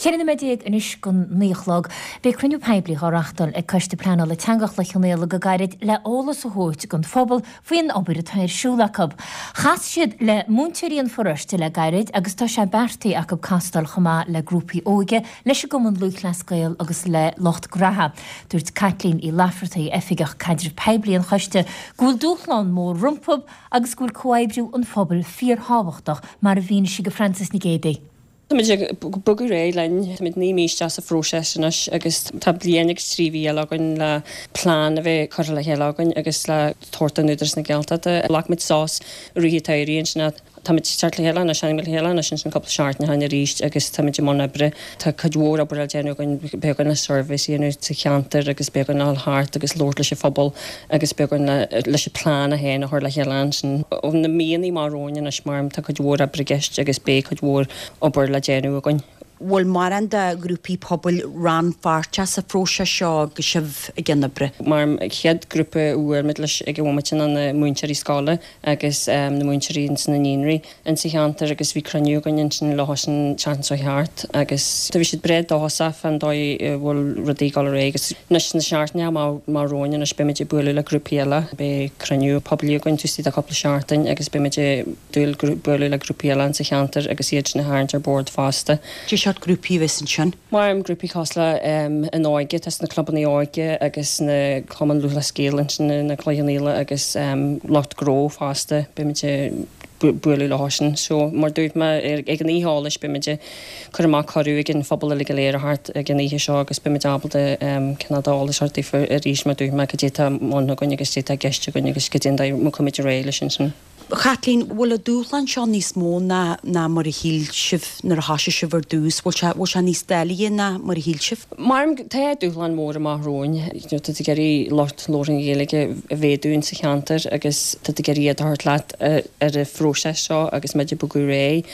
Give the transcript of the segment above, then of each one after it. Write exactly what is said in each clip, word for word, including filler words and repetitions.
Ceithre nóiméad déag anois don naoi a chlog. Beidh cruinniú poiblí á reáchtáil ag Coiste Pleanála Teanga Chloich Cheann Fhaola go gairid le eolas a thabhairt don phobal faoin obair atá ar siúl acu. Chas siad le múinteoirí an pharóiste le gairid agus tá sé beartaithe acu castáil chomh maith le grúpaí óige, leis an gCumann Lúthchleas Gael agus le lucht graithe. Dúirt Caitlín Uí Laifeartaigh, Oifigeach Caidrimh Poiblí an Choiste, go bhfuil dúshlán mór rompu agus go bhfuil comhoibriú an phobail fíorthábhachtach mar a mhínigh sí do Frances Nic Géadaigh. Táimid ag bogadh ar aghaidh linn, táimid naoi mí isteach sa phróiseas anois agus tá bliain agus trí mhí eile againn le plean a bheith curtha le chéile againn agus le tabhairt don Údarás na Gaeltachta. Ghlac muid sos i rith an tsamhraidh ansin táimid ag teacht le chéile anois, tháinig muid le chéile anois ansin cúpla seachtain ó shin arís agus táimid i mbun oibre. Tá cuid mhór obair le déanamh againn, beidh againn le suirbhéis a dhéanamh sa cheantar agus beidh againn le dhul thart agus labhairt leis an phobal agus beidh againn leis an plean a féin a chur le chéile ansin. Ó na míonna amach romhainn anois mar tá cuid mhór oibre i gceist agus beidh cuid mhór obair le déanamh againn. Bhfuil mórán de ghrúpaí pobail rannpháirteach sa phróiseas seo agus sibh ag déanamh oibre? Mar an chéad grúpa a bhuail muid leis ag an bhomaite ná na múinteoirí scoile agus na múinteoirí ins na naíonraí insa cheantar agus bhí cruinniú againn ansin leo sin an tseachtain seo thart agus bhí siad breá dóchasach fán dóigh a bhfuil rudaí ag dul ar aghaidh agus anois sna seachtainí amach romhainn anois beimid ag bualadh le grúpaí eile. Beidh cruinniú poiblí againn taobh istigh de chúpla seachtain agus beimid ag dúil bualadh le grúpaí eile insa cheantar agus iad sin a tharraingt ar bord fosta. Cé seort grúpaí a bheas ansin? Mar grúpaí cosúil le an óige, tá sna clubanna óige agus na Cumann Lúthchleas Gael ansin na Cloich Cheann Fhaola agus lucht gnó fosta beimid ag bualadh leo sin. So mar dúirt mé ag an oíche eolais beimid ag cur amach cuireadh ag an phobal uilig go léir a theacht ag an oíche seo agus beimid ábalta cineál d'eolas a thabhairt daofa arís mar dúirt mé cad é atá i mbun againn agus cad é atá i gceist againn agus cad é an dóigh a mbeimid ar aghaidh leis ansin. Chaitlín, bhfuil an dúshlán seo níos mó ná ná mar a shíl sibh nuair a thosaigh sibh ar dtús? Bhfuil sé bhfuil sé níos doilighe ná mar a shíl sibh? Mar tá dúshlán mór amach romhainn. You know, tá tú ag iarraidh lucht labhartha na Gaeilge a mhéadú sa cheantar agus tá tú ag iarraidh iad a thabhairt leat ar an phróiseas seo agus muid ag bogadh ar aghaidh.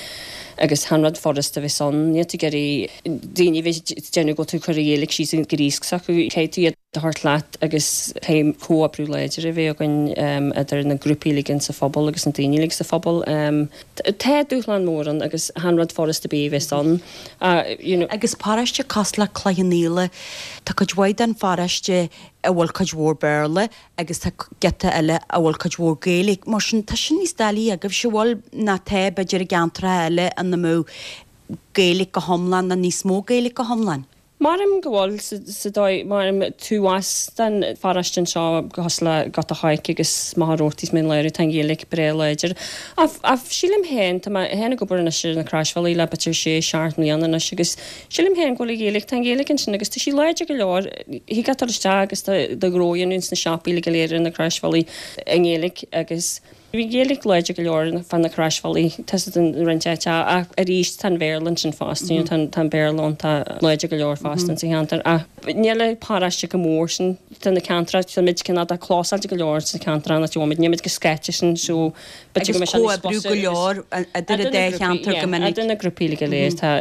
Agus chan rud furasta a bheas ann. Níl tú ag iarraidh daoine a bheith ag déanamh go bhfuil tú ag cur an Ghaeilge síos an gríosc s'acu. Caithfidh tú iad a thabhairt leat agus caithfidh comhoibriú láidir a bheith againn idir na grúpaí uilig insa phobal agus na daoine uilig sa phobal. Tá dúshlán mór ann agus chan rud furasta ar bith a bheas ann. You know. Agus paróiste cosúil le Cloich Cheann Fhaola, tá cuid mhaith den pharóiste a bhfuil cuid mhór Béarla agus tá giota eile a bhfuil cuid mhór Gaeilge. Mar sin, tá sin níos doilighe agaibhse, bhfuil, ná tá, b'fhéidir i gceantracha eile ina mbeadh Gaeilge go hiomlán nó níos mó Gaeilge go hiomlán? Maram go bhfuil sa dóigh maram tuas den pharóiste anseo cosúil le Gort a' Choirce agus Machaire Rabhartaigh is Mín Lárach tá an Ghaeilge breá láidir. Ach ach sílim féin tá mé féin ag obair anois ar na Croisbhealaí le b'fhéidir sé seacht mbliana anois agus sílim féin go bhfuil an Ghaeilge tá an Ghaeilge ansin agus tá sí láidir go leor. Thig leat dul isteach agus do ghnó a dhéanamh sna siopaí go léir ar na Croisbhealaí i nGaeilge agus Bhí Gaeilge láidir go leor fan na Croisbhealaí tá siad in roinnt áite ach arís tá an Bhéarla ansin fosta you know tá tá an Béarla ann tá láidir go leor fosta insa cheantar ach níl an paróiste chomh mór sin tá na ceantracha tá muid cineál de clósáilte go leor sna ceantracha ina bhfuil muid níl muid go scaite sin so b'fhéidir go mbeidh sé níos Agus comhoibriú go leor idir an dá cheantar go minic. Idir na grúpaí go léir tá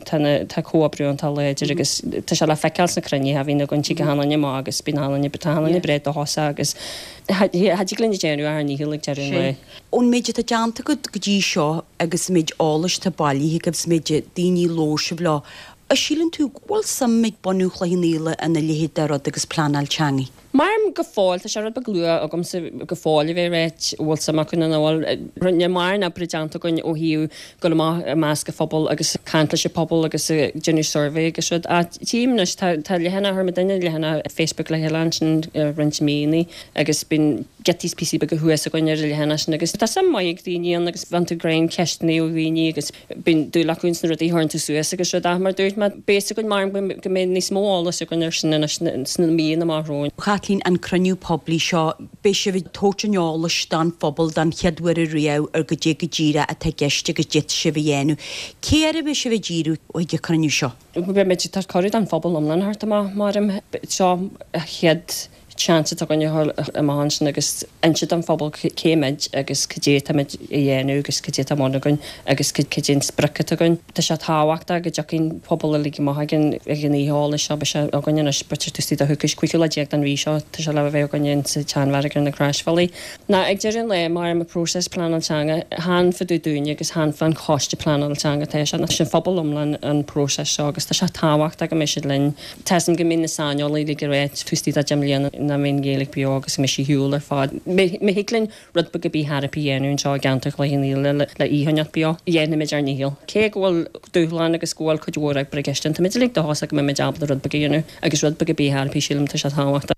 tá na tá comhoibriú iontach láidir agus tá sé le feiceáil sna cruinnithe a bhíonn againn tig achan duine amach agus bíonn achan duine tá achan duine breá dóchasach agus Cha dtig linn a dhéanamh ach ár ndícheall ag deireadh an lae. Ón méid atá déanta agat go dtí seo agus an méid eolais atá bailithe agaibh is an méid daoine a labhair sibh leo, a síleann tú go bhfuil suim ag bunadh Chloich Cheann Fhaola ina leithéid de rud agus pleanáil teanga? Maram go fóill, tá sé rud beag luath agamsa go fóill a bheith ag ráit an bhfuil suim acu nó nach bhfuil. Níl mórán oibre déanta againn ó thaobh dul amach i measc an phobail agus caint leis an phobal agus déanamh suirbhé agus rud. Ach tchím anois, tá tá leathanach, chuir muidinne leathanach Facebook le chéile ansin roinnt míonna agus bíonn giotaí is píosaí beaga thuas againn ar an leathanach sin agus tá suim maith ag daoine ann agus faigheann tú greim ceisteanna ó dhaoine agus bíonn dúil acu ins na rudaí a chuireann tú suas agus rud. Ach mar dúirt mé, beidh a fhios againn mar go mbeidh níos mó eolais againn ar sin anois sna míonna amach romhainn. Chaitlín, an cruinniú poiblí seo, beidh sibh ag tabhairt an eolais don phobal don chéad uair ariamh ar goidé go díreach atá i gceist agus goidé atá sibh a dhéanamh. Cé air a bheidh sibh ag díriú chuig an cruinniú seo? Beidh muid ag tabhairt cuireadh don phobal iomlán a theacht amach, maram. Seo an chéad Seans atá againne dhul amach ansin agus inse don phobal cé muid agus cad é atáimid a dhéanamh agus cad é atá ar bun againn agus cad é an sprioc atá againn. Tá sé tábhachtach go dtiocfaidh an pobal uilig amach ag an ag an oíche eolais seo, beidh sé againn anois b'fhéidir taobh istigh de choicís, cúigiú lá déag den mhí seo, tá sé le bheith againn sa tSeanbheairic ar na Croisbhealaí. Ná ag deireadh an lae, mar an próiseas pleanáil teanga, chan fá dtaobh dúinne agus chan fán choiste pleanála teanga atá sé, ná sin phobal iomlán an próiseas seo agus tá sé tábhachtach go mbeidh siad linn. Tá a fhios agam go mbíonn na saineolaithe uilig ag rá taobh istigh de deich mbliana nach mbeidh an Ghaeilge beo agus go mbeidh sí ar shiúl ar fad. Má thig linn rud beag ar bith thairbhe a dhéanamh anseo i gceantar Chloich Cheann Fhaola le í a choinneáil beo, dhéanfaimid ár ndícheall. Cé go bhfuil dúshlán agus go bhfuil cuid mhór oibre i gceist ann, táimid uilig dóchasach go mbeimid ábalta rud beag a dhéanamh agus rud beag ar bith thairbhe, sílim, tá sé tábhachtach.